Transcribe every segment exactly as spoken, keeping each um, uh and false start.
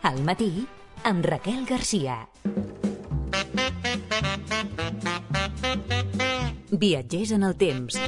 Al matí, amb Raquel Garcia. Viatgers en el temps.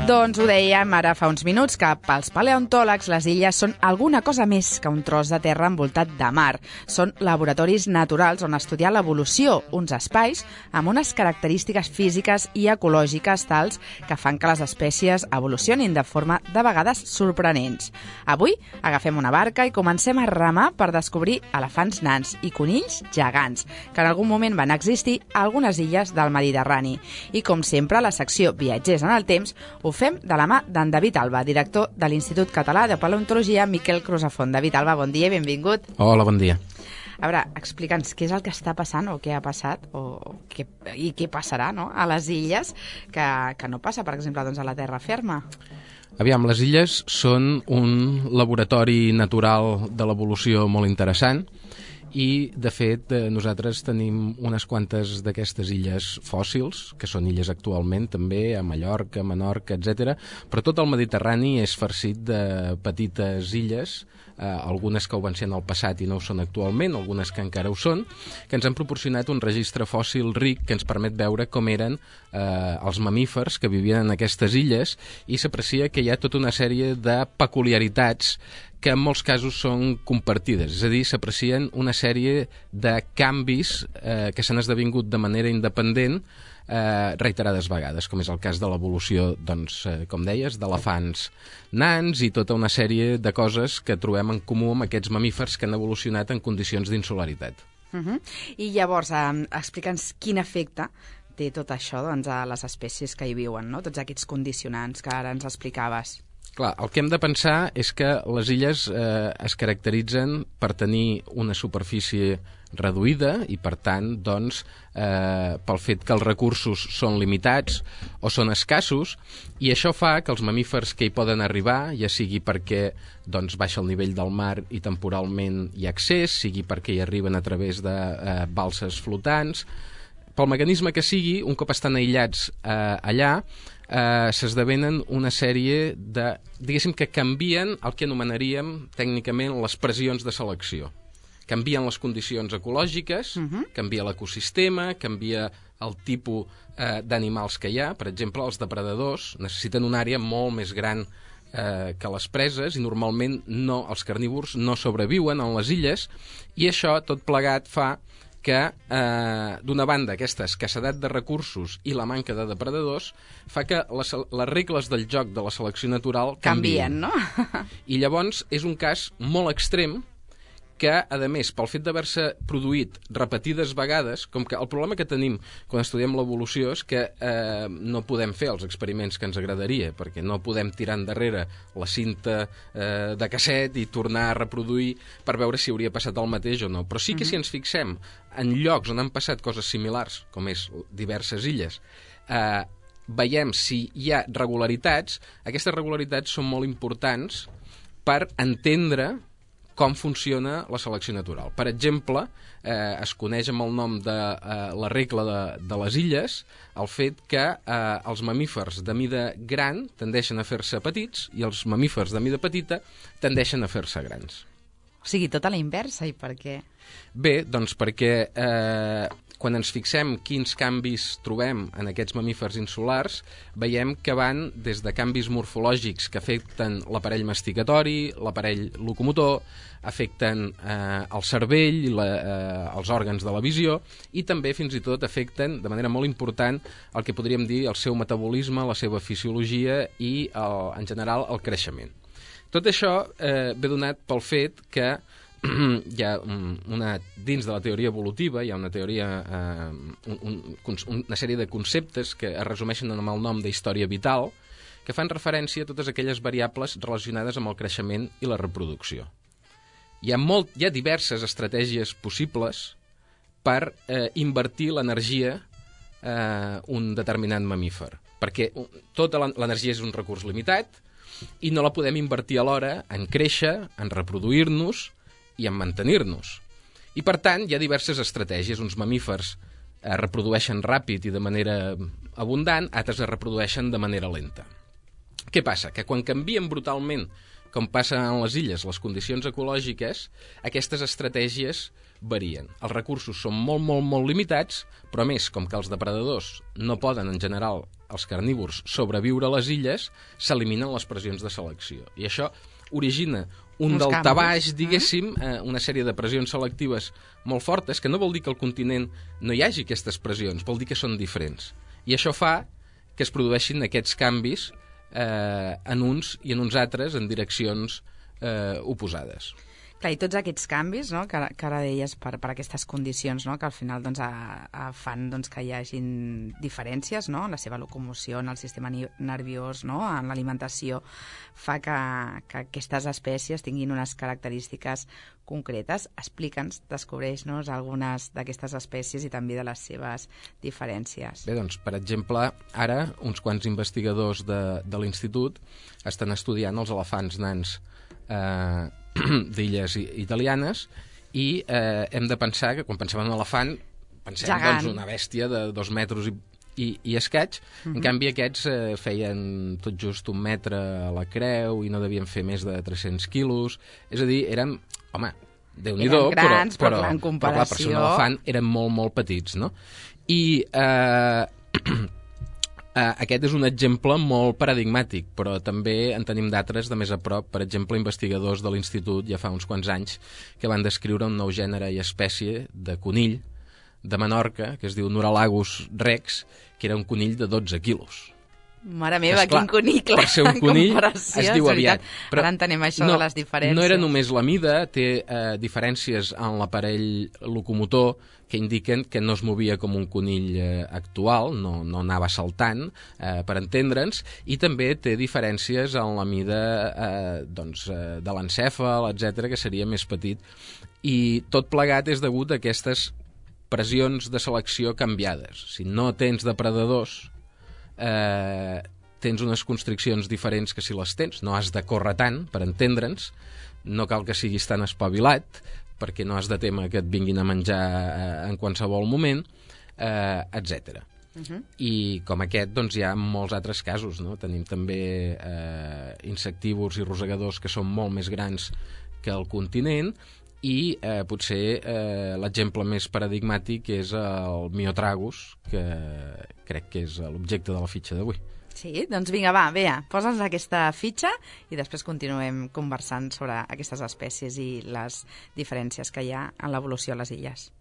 Doncs ho dèiem ara fa uns minuts, que pels paleontòlegs les illes són alguna cosa més que un tros de terra envoltat de mar. Són laboratoris naturals on estudiar l'evolució, uns espais amb unes característiques físiques i ecològiques tals que fan que les espècies evolucionin de forma de vegades sorprenents. Avui agafem una barca i comencem a remar per descobrir elefants nans i conills gegants, que en algun moment van existir a algunes illes del Mediterrani. I com sempre, a la secció Viatgers en el temps ho fem de la mà d'en David Alba, director de l'Institut Català de Paleontologia Miquel Crusafont. David Alba, bon dia i benvingut. Hola, bon dia. A veure, explica'ns què és el que està passant o què ha passat o què, i què passarà, no?, a les illes que, que no passa, per exemple, doncs, a la terra ferma. Aviam, les illes són un laboratori natural de l'evolució molt interessant i, de fet, nosaltres tenim unes quantes d'aquestes illes fòssils, que són illes actualment també, a Mallorca, Menorca, etcètera, però tot el Mediterrani és farcit de petites illes, eh, algunes que ho van ser en el passat i no ho són actualment, algunes que encara ho són, que ens han proporcionat un registre fòssil ric que ens permet veure com eren eh, els mamífers que vivien en aquestes illes, i s'aprecia que hi ha tota una sèrie de peculiaritats que en molts casos són compartides, és a dir, s'aprecien una sèrie de canvis eh, que s'han esdevingut de manera independent eh, reiterades vegades, com és el cas de l'evolució, doncs, eh, com deies, d'elefants nans i tota una sèrie de coses que trobem en comú amb aquests mamífers que han evolucionat en condicions d'insularitat. Uh-huh. I llavors, eh, explica'ns quin efecte té tot això, doncs, a les espècies que hi viuen, no? Tots aquests condicionants que ara ens explicaves. Clar, el que hem de pensar és que les illes eh, es caracteritzen per tenir una superfície reduïda i, per tant, doncs, eh, pel fet que els recursos són limitats o són escassos, i això fa que els mamífers que hi poden arribar, ja sigui perquè doncs, baixa el nivell del mar i temporalment hi ha accés, sigui perquè hi arriben a través de eh, balses flotants, pel mecanisme que sigui, un cop estan aïllats eh, allà, eh, s'esdevenen una sèrie de, diguéssim, que canvien el que anomenaríem tècnicament les pressions de selecció. Canvien les condicions ecològiques, uh-huh. canvia l'ecosistema, canvia el tipus eh, d'animals que hi ha. Per exemple, els depredadors necessiten una àrea molt més gran eh, que les preses i normalment no, els carnívors no sobreviuen en les illes, i això tot plegat fa que, eh, d'una banda, aquesta escassedat de recursos i la manca de depredadors fa que les, les regles del joc de la selecció natural canvien. Canvien, no? I llavors és un cas molt extrem que, a més, pel fet d'haver-se produït repetides vegades, com que el problema que tenim quan estudiem l'evolució és que eh, no podem fer els experiments que ens agradaria, perquè no podem tirar endarrere la cinta eh, de casset i tornar a reproduir per veure si hauria passat el mateix o no. Però sí que si ens fixem en llocs on han passat coses similars, com és diverses illes, eh, veiem si hi ha regularitats. Aquestes regularitats són molt importants per entendre com funciona la selecció natural. Per exemple, eh, es coneix amb el nom de eh, la regla de, de les illes el fet que eh, els mamífers de mida gran tendeixen a fer-se petits i els mamífers de mida petita tendeixen a fer-se grans. O sigui, tot a la inversa, i per què? Bé, doncs perquè eh, quan ens fixem quins canvis trobem en aquests mamífers insulars, veiem que van des de canvis morfològics que afecten l'aparell masticatori, l'aparell locomotor, afecten eh, el cervell, la, eh, els òrgans de la visió, i també fins i tot afecten de manera molt important el que podríem dir el seu metabolisme, la seva fisiologia i, el, en general, el creixement. Tot això eh, ve donat pel fet que hi ha una, dins de la teoria evolutiva hi ha una teoria, eh, un, un, una sèrie de conceptes que es resumeixen amb el nom d'història vital, que fan referència a totes aquelles variables relacionades amb el creixement i la reproducció. Hi ha, molt, hi ha diverses estratègies possibles per eh, invertir l'energia eh, un determinat mamífer, perquè tota l'energia és un recurs limitat i no la podem invertir alhora en créixer, en reproduir-nos i en mantenir-nos. I, per tant, hi ha diverses estratègies. Uns mamífers es reprodueixen ràpid i de manera abundant, altres es reprodueixen de manera lenta. Què passa? Que quan canvien brutalment, com passa en les illes, les condicions ecològiques, aquestes estratègies varien. Els recursos són molt, molt, molt limitats, però a més, com que els depredadors no poden, en general, els carnívors, sobreviure a les illes, s'eliminen les pressions de selecció. I això origina un daltabaix, diguéssim, eh, una sèrie de pressions selectives molt fortes, que no vol dir que al continent no hi hagi aquestes pressions, vol dir que són diferents. I això fa que es produeixin aquests canvis eh, en uns i en uns altres en direccions eh, oposades. Clar, i tots aquests canvis, no?, que, que ara deies per, per aquestes condicions, no?, que al final doncs, a, a fan doncs, que hi hagin diferències, no?, en la seva locomoció, en el sistema nerviós, no?, en l'alimentació, fa que, que aquestes espècies tinguin unes característiques concretes. Explica'ns, descobreix-nos algunes d'aquestes espècies i també de les seves diferències. Bé, doncs, per exemple, ara uns quants investigadors de, de l'Institut estan estudiant els elefants nans eh, d'illes italianes i eh, hem de pensar que quan pensem en un elefant pensem doncs, una bèstia de dos metres i, i, i escaig. Uh-huh. En canvi aquests eh, feien tot just un metre a la creu i no devien fer més de tres-cents quilos, és a dir, érem, home, Déu-n'hi-do, eren grans, però, però, però, en comparació... però clar, per ser un elefant eren molt, molt petits, no? I eh, Uh, aquest és un exemple molt paradigmàtic, però també en tenim d'altres de més a prop. Per exemple, investigadors de l'Institut ja fa uns quants anys que van descriure un nou gènere i espècie de conill de Menorca, que es diu Nuralagus rex, que era un conill de dotze quilos. Mare meva, Esclar, quin conill, clar, per ser un conill es diu aviat. Però ara entenem això no, de les diferències. No era només la mida, té eh, diferències en l'aparell locomotor que indiquen que no es movia com un conill eh, actual, no, no anava saltant, eh, per entendre'ns, i també té diferències en la mida eh, doncs, eh, de l'encèfal, etcètera, que seria més petit. I tot plegat és degut a aquestes pressions de selecció canviades. Si no tens depredadors, eh, tens unes constriccions diferents que si les tens. No has de córrer tant, per entendre'ns, no cal que siguis tan espavilat, perquè no has de témer que et vinguin a menjar eh, en qualsevol moment, eh, etcètera. Uh-huh. I com aquest, doncs, hi ha molts altres casos, no? Tenim també eh, insectívors i rosegadors que són molt més grans que el continent, i eh, potser eh, l'exemple més paradigmàtic és el Myotragus, que crec que és l'objecte de la fitxa d'avui. Sí, doncs vinga, va, Bea, posa'ns aquesta fitxa i després continuem conversant sobre aquestes espècies i les diferències que hi ha en l'evolució a les illes.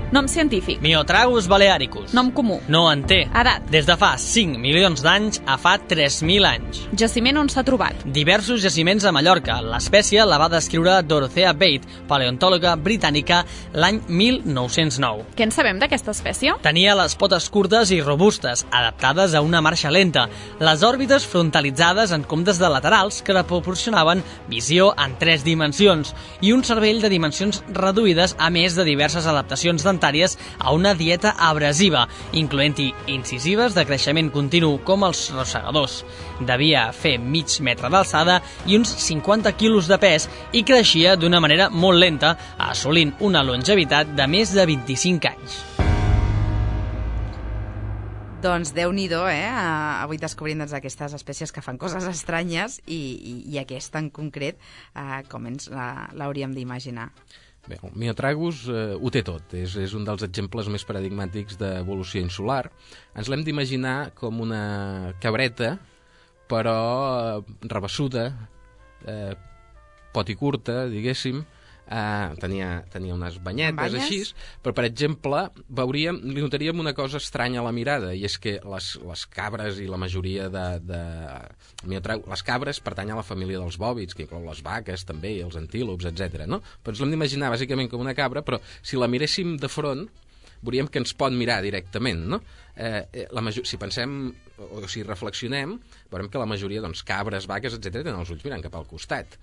Nom científic. Myotragus balearicus. Nom comú. No en té. Edat. Des de fa cinc milions d'anys a fa tres mil anys. Jaciment on s'ha trobat. Diversos jaciments a Mallorca. L'espècie la va descriure Dorothea Bate, paleontòloga britànica, l'any mil nou-cents nou. Què en sabem d'aquesta espècie? Tenia les potes curtes i robustes, adaptades a una marxa lenta, les òrbites frontalitzades en comptes de laterals que la proporcionaven visió en tres dimensions i un cervell de dimensions reduïdes, a més de diverses adaptacions dentàries a una dieta abrasiva, incloent-hi incisives de creixement continu com els rosegadors. Devia fer mig metre d'alçada i uns cinquanta quilos de pes i creixia d'una manera molt lenta, assolint una longevitat de més de vint-i-cinc anys. Doncs Déu-n'hi-do, eh? Avui descobrim doncs, aquestes espècies que fan coses estranyes i, i, i aquesta en concret, eh, com ens l'hauríem d'imaginar. Bé, el Myotragus eh, ho té tot, és, és un dels exemples més paradigmàtics d'evolució insular. Ens l'hem d'imaginar com una cabreta, però eh, rabassuda, eh, poti curta, diguéssim, eh, tenia, tenia unes banyetes així, però, per exemple, veuríem, li notaríem una cosa estranya a la mirada, i és que les, les cabres i la majoria de... de les cabres pertanyen a la família dels bòvids, que inclou les vaques també, i els antílops, etcètera. No? Però ens l'hem d'imaginar bàsicament com una cabra, però si la miréssim de front, veuríem que ens pot mirar directament, no? Eh, la major... Si pensem, o si reflexionem, veurem que la majoria, doncs, cabres, vaques, etcètera, tenen els ulls mirant cap al costat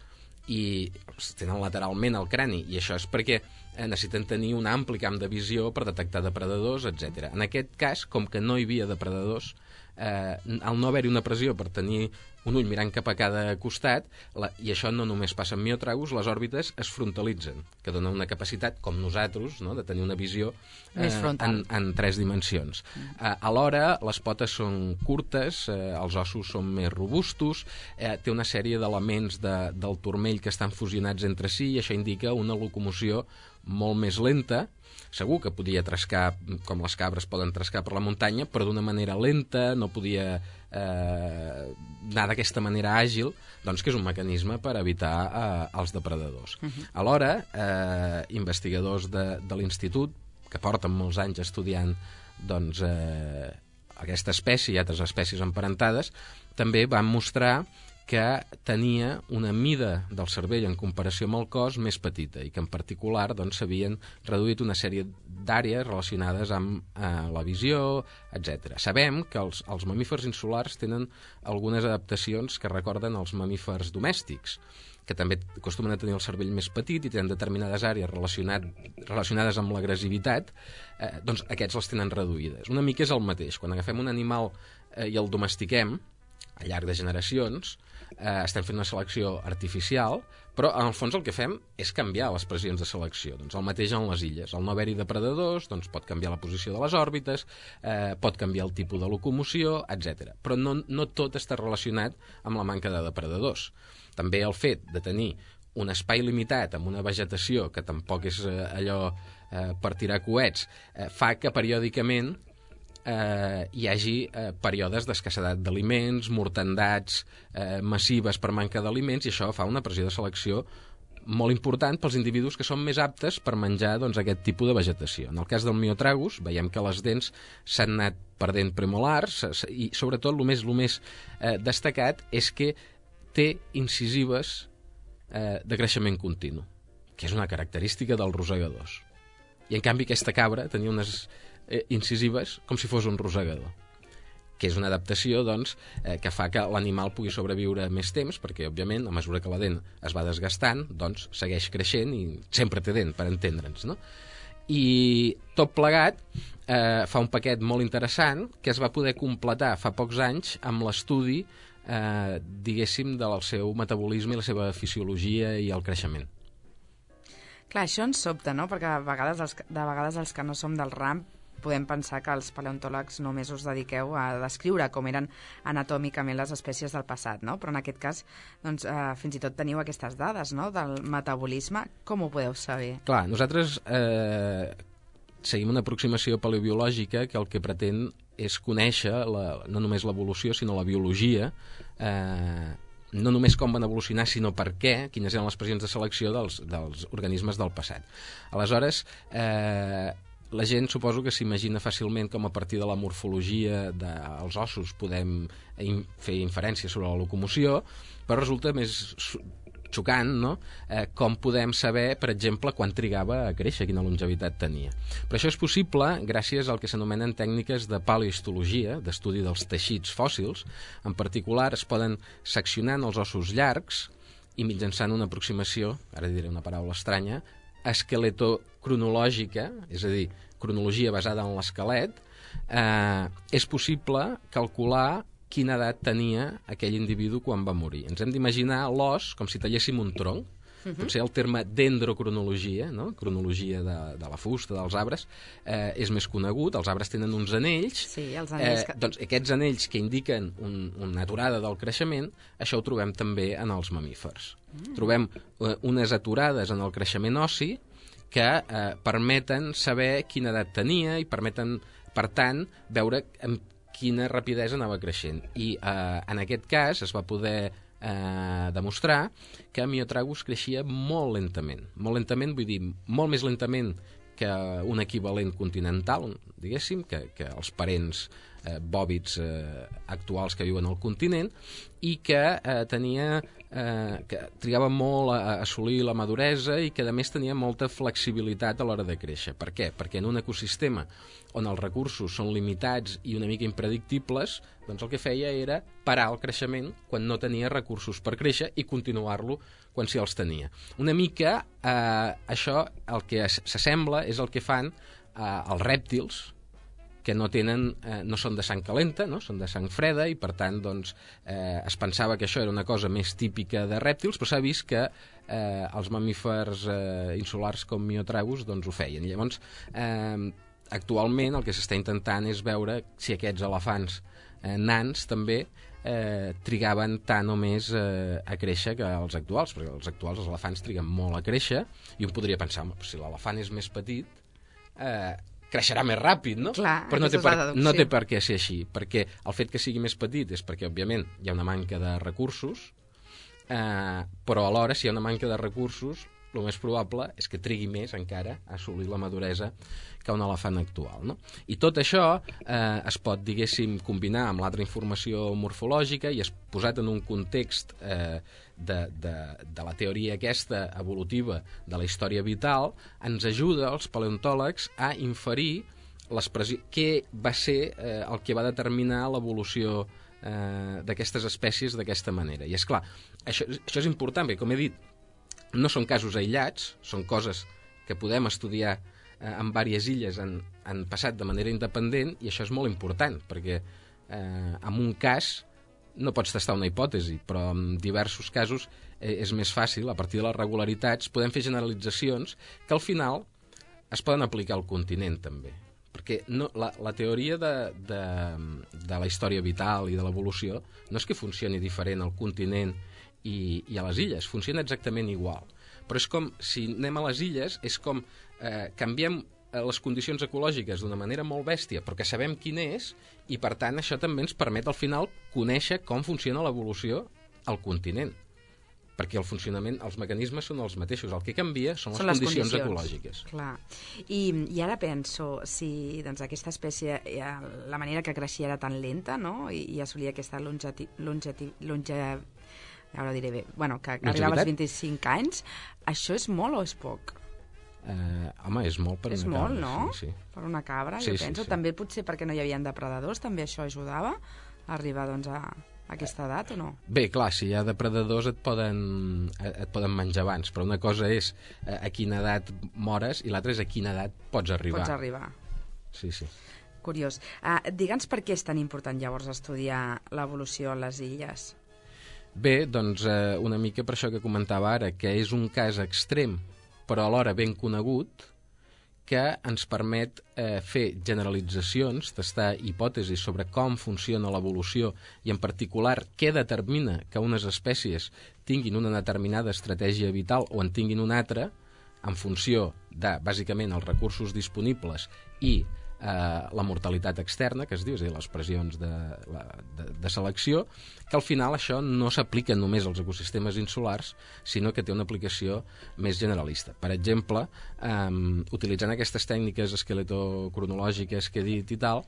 i tenen lateralment el crani, i això és perquè eh, necessiten tenir un ampli camp de visió per detectar depredadors, etcètera. En aquest cas, com que no hi havia depredadors, eh, al no haver-hi una pressió per tenir un ull mirant cap a cada costat, la, i això no només passa en Myotragus, les òrbites es frontalitzen, que dona una capacitat, com nosaltres, no?, de tenir una visió eh, en, en tres dimensions. Mm. Eh, alhora, les potes són curtes, eh, els ossos són més robustos, eh, té una sèrie d'elements de, del turmell que estan fusionats entre si, i això indica una locomoció molt més lenta. Segur que podia trescar, com les cabres poden trescar per la muntanya, però d'una manera lenta, no podia eh, anar d'aquesta manera àgil, doncs que és un mecanisme per evitar eh, els depredadors. Uh-huh. Alhora, eh, investigadors de, de l'institut, que porten molts anys estudiant doncs, eh, aquesta espècie i altres espècies emparentades, també van mostrar que tenia una mida del cervell en comparació amb el cos més petita i que en particular doncs, s'havien reduït una sèrie d'àrees relacionades amb eh, la visió, etcètera. Sabem que els, els mamífers insulars tenen algunes adaptacions que recorden els mamífers domèstics, que també acostumen a tenir el cervell més petit i tenen determinades àrees relacionat, relacionades amb l'agressivitat, eh, doncs aquests les tenen reduïdes. Una mica és el mateix. Quan agafem un animal eh, i el domestiquem, al llarg de generacions, eh, estem fent una selecció artificial, però en el fons el que fem és canviar les pressions de selecció. Doncs el mateix en les illes. Al no haver-hi depredadors, doncs pot canviar la posició de les òrbites, eh, pot canviar el tipus de locomoció, etcètera. Però no, no tot està relacionat amb la manca de depredadors. També el fet de tenir un espai limitat amb una vegetació que tampoc és eh, allò eh, per tirar coets, eh, fa que periòdicament Eh, hi hagi eh, períodes d'escassedat d'aliments, mortandats eh, massives per manca d'aliments, i això fa una pressió de selecció molt important pels individus que són més aptes per menjar doncs, aquest tipus de vegetació. En el cas del Myotragus, veiem que les dents s'han anat perdent premolars i, sobretot, el més, el més eh, destacat és que té incisives eh, de creixement continu, que és una característica dels rosegadors. I, en canvi, aquesta cabra tenia unes Eh, incisives com si fos un rosegador, que és una adaptació doncs, eh, que fa que l'animal pugui sobreviure més temps, perquè òbviament a mesura que la dent es va desgastant doncs segueix creixent i sempre té dent, per entendre'ns, no? I tot plegat eh, fa un paquet molt interessant que es va poder completar fa pocs anys amb l'estudi eh, diguéssim del seu metabolisme i la seva fisiologia i el creixement. Clar, això ens sobta, no? Perquè a vegades els, de vegades els que no som del ram podem pensar que els paleontòlegs només us dediqueu a descriure com eren anatòmicament les espècies del passat, no? Però en aquest cas, doncs, eh, fins i tot teniu aquestes dades, no?, del metabolisme. Com ho podeu saber? Clar, nosaltres eh, seguim una aproximació paleobiològica que el que pretén és conèixer la, no només l'evolució, sinó la biologia, eh, no només com van evolucionar, sinó per què, quines eren les pressions de selecció dels, dels organismes del passat. Aleshores, eh, la gent suposo que s'imagina fàcilment com a partir de la morfologia dels ossos podem fer inferències sobre la locomoció, però resulta més xocant, no?, eh, com podem saber, per exemple, quan trigava a créixer, quina longevitat tenia. Però això és possible gràcies al que s'anomenen tècniques de paleohistologia, d'estudi dels teixits fòssils. En particular, es poden seccionar els ossos llargs i mitjançant una aproximació, ara diré una paraula estranya, esqueletocronològica, és a dir, cronologia basada en l'esquelet, eh, és possible calcular quina edat tenia aquell individu quan va morir. Ens hem d'imaginar l'os com si talléssim un tronc. Uh-huh. Potser el terme dendrocronologia, no?, cronologia de, de la fusta, dels arbres, eh, és més conegut. Els arbres tenen uns anells. Sí, els anells eh, que... doncs aquests anells que indiquen un, una aturada del creixement, això ho trobem també en els mamífers. Mm. Trobem eh, unes aturades en el creixement ossi que eh, permeten saber quina edat tenia i permeten, per tant, veure amb quina rapidesa anava creixent. I eh, en aquest cas es va poder eh, demostrar que Myotragus creixia molt lentament. Molt lentament, vull dir, molt més lentament que un equivalent continental, diguéssim, que, que els parents eh, bòvids eh, actuals que viuen al continent, i que eh, tenia eh, que trigava molt a, a assolir la maduresa i que a més tenia molta flexibilitat a l'hora de créixer. Per què? Perquè en un ecosistema on els recursos són limitats i una mica impredictibles, doncs el que feia era parar el creixement quan no tenia recursos per créixer i continuar-lo quan sí els tenia. Una mica eh, això el que s'assembla és el que fan eh, els rèptils, que no tenen, eh, no són de sang calenta, no? Són de sang freda, i per tant doncs, eh, es pensava que això era una cosa més típica de rèptils, però s'ha vist que eh, els mamífers eh, insulars com Myotragus doncs, ho feien. Llavors, eh, actualment el que s'està intentant és veure si aquests elefants eh, nans també eh, trigaven tant o més eh, a créixer que els actuals, perquè els actuals, els elefants, triguen molt a créixer, i un podria pensar, si l'elefant és més petit, eh, creixerà més ràpid, no? Clar, però no té, per, no té per què ser així, perquè el fet que sigui més petit és perquè, òbviament, hi ha una manca de recursos, eh, però alhora, si hi ha una manca de recursos, el més probable és que trigui més encara a assolir la maduresa que un elefant actual, no? I tot això eh, es pot, diguéssim, combinar amb l'altra informació morfològica i es posat en un context eh, de, de, de la teoria aquesta evolutiva de la història vital, ens ajuda als paleontòlegs a inferir què va ser eh, el que va determinar l'evolució eh, d'aquestes espècies d'aquesta manera. I és clar, això, això és important, perquè com he dit, no són casos aïllats, són coses que podem estudiar eh, en diverses illes han, han passat de manera independent, i això és molt important, perquè eh, en un cas no pots testar una hipòtesi, però en diversos casos eh, és més fàcil, a partir de les regularitats, podem fer generalitzacions que al final es poden aplicar al continent també. Perquè no, la, la teoria de, de, de la història vital i de l'evolució no és que funcioni diferent al continent i, i a les illes, funciona exactament igual. Però és com, si anem a les illes, és com eh, canviem les condicions ecològiques d'una manera molt bèstia, però que sabem quin és, i per tant això també ens permet al final conèixer com funciona l'evolució al continent. Perquè el funcionament, els mecanismes són els mateixos, el que canvia són, són les, les condicions, condicions ecològiques. Clar. I, i ara penso, si doncs, aquesta espècie, la manera que creixia era tan lenta, no?, i, i assolia aquesta longeti, longeti, longe, ara ho diré bé, bueno, que arribava als vint-i-cinc anys, això és molt o és poc? Eh, home, és molt per és una molt, cabra. No? Sí, sí. Per una cabra, sí, jo sí, penso. sí. També potser perquè no hi havia depredadors, també això ajudava a arribar doncs, a aquesta edat, o no? Bé, clar, si hi ha depredadors et poden, et poden menjar abans, però una cosa és a quina edat mores i l'altra és a quina edat pots arribar. Pots arribar. Sí, sí. Curiós. Uh, Digue'ns per què és tan important llavors estudiar l'evolució a les illes? Bé, doncs eh, una mica per això que comentava ara, que és un cas extrem, però alhora ben conegut, que ens permet eh, fer generalitzacions, testar hipòtesis sobre com funciona l'evolució i, en particular, què determina que unes espècies tinguin una determinada estratègia vital o en tinguin una altra, en funció de, bàsicament, els recursos disponibles i eh, la mortalitat externa, que es diu, és a dir, les pressions de, de, de selecció, que al final això no s'aplica només als ecosistemes insulars, sinó que té una aplicació més generalista. Per exemple, eh, utilitzant aquestes tècniques esqueletocronològiques que he dit i tal,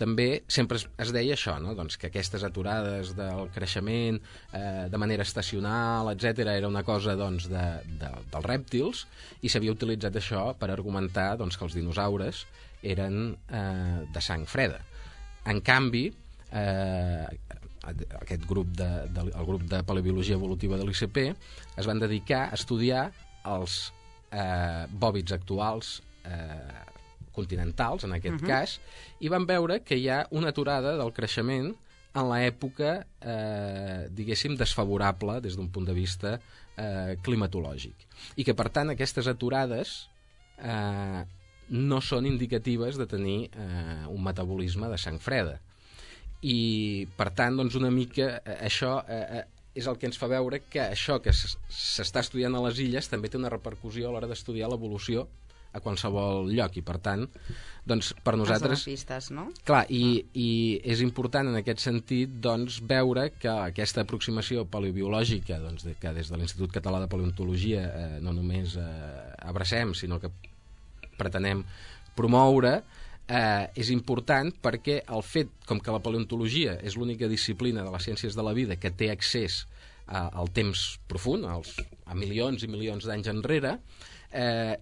també sempre es, es deia això, no? Doncs que aquestes aturades del creixement eh, de manera estacional, etcètera, era una cosa doncs, de, de, dels rèptils, i s'havia utilitzat això per argumentar doncs, que els dinosaures eren eh, de sang freda. En canvi, eh, aquest grup de, de, el grup de paleobiologia evolutiva de l'I C P es van dedicar a estudiar els eh, bòvids actuals eh, continentals, en aquest uh-huh. cas, i van veure que hi ha una aturada del creixement en l'època, eh, diguéssim, desfavorable des d'un punt de vista eh, climatològic. I que, per tant, aquestes aturades eh, no són indicatives de tenir eh, un metabolisme de sang freda. I, per tant, doncs, una mica eh, això eh, és el que ens fa veure que això que s'està estudiant a les illes també té una repercussió a l'hora d'estudiar l'evolució a qualsevol lloc, i per tant doncs per nosaltres pistes, no? Clar, i, i és important en aquest sentit doncs veure que aquesta aproximació paleobiològica doncs, de, que des de l'Institut Català de Paleontologia eh, no només eh, abracem, sinó que pretenem promoure, eh, és important perquè el fet, com que la paleontologia és l'única disciplina de les ciències de la vida que té accés a, al temps profund, als, a milions i milions d'anys enrere, eh,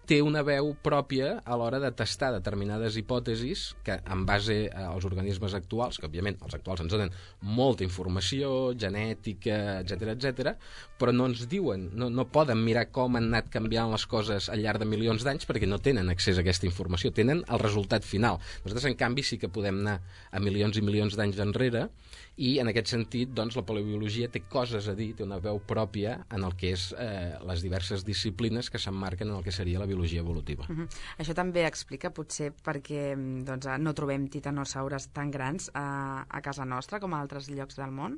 té una veu pròpia a l'hora de testar determinades hipòtesis que, en base als organismes actuals, que òbviament els actuals ens donen molta informació, genètica, etcètera, etcètera, però no ens diuen, no, no poden mirar com han anat canviant les coses al llarg de milions d'anys perquè no tenen accés a aquesta informació, tenen el resultat final. Nosaltres, en canvi, sí que podem anar a milions i milions d'anys enrere i, en aquest sentit, doncs, la paleobiologia té coses a dir, té una veu pròpia en el que és eh, les diverses disciplines que s'emmarquen en el que seria la biologia biologia evolutiva. Uh-huh. Això també explica potser perquè doncs, no trobem titanosaures tan grans a, a casa nostra com a altres llocs del món?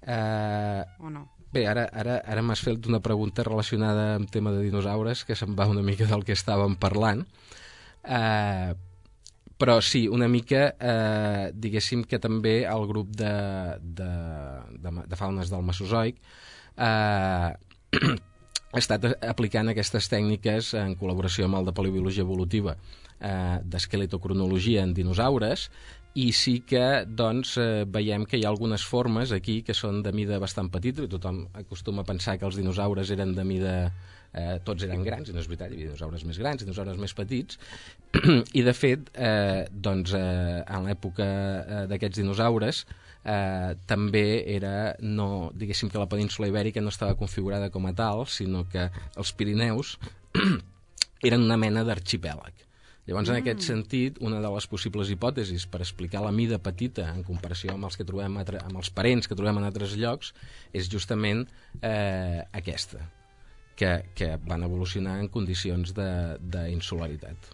Uh, o no? Bé, ara, ara, ara m'has fet una pregunta relacionada amb tema de dinosaures que se'n va una mica del que estàvem parlant. Uh, però sí, una mica eh, diguéssim que també el grup de, de, de, de faunes del Mesozoic eh, ha estat aplicant aquestes tècniques en col·laboració amb el de paleobiologia evolutiva eh, d'esqueletocronologia en dinosaures, i sí que doncs, eh, veiem que hi ha algunes formes aquí que són de mida bastant petita, i tothom acostuma a pensar que els dinosaures eren de mida... Eh, tots eren grans, i no és veritat, hi havia dinosaures més grans, dinosaures més petits, i de fet, eh, doncs, eh, en l'època eh, d'aquests dinosaures, eh, també era, no, diguéssim que la península ibèrica no estava configurada com a tal, sinó que els Pirineus eren una mena d'arxipèlag. Llavors, en aquest sentit, una de les possibles hipòtesis per explicar la mida petita en comparació amb els que trobem amb els parents que trobem en altres llocs és justament eh, aquesta, que, que van evolucionar en condicions d'insularitat.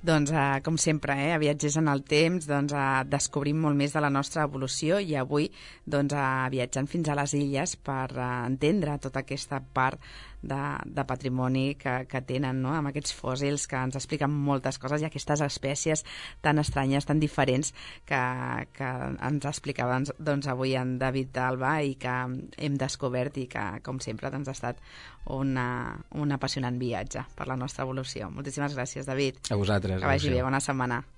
Doncs, eh, com sempre, eh, a Viatgers en el Temps, doncs, eh, descobrim molt més de la nostra evolució i avui doncs, eh, viatjant fins a les illes per eh, entendre tota aquesta part de, de patrimoni que, que tenen, no? Amb aquests fòssils que ens expliquen moltes coses i aquestes espècies tan estranyes, tan diferents que, que ens explicava doncs, avui en David Alba i que hem descobert i que, com sempre, doncs, ha estat una, un apassionant viatge per la nostra evolució. Moltíssimes gràcies, David. A vosaltres. Que vagi bé, bona setmana.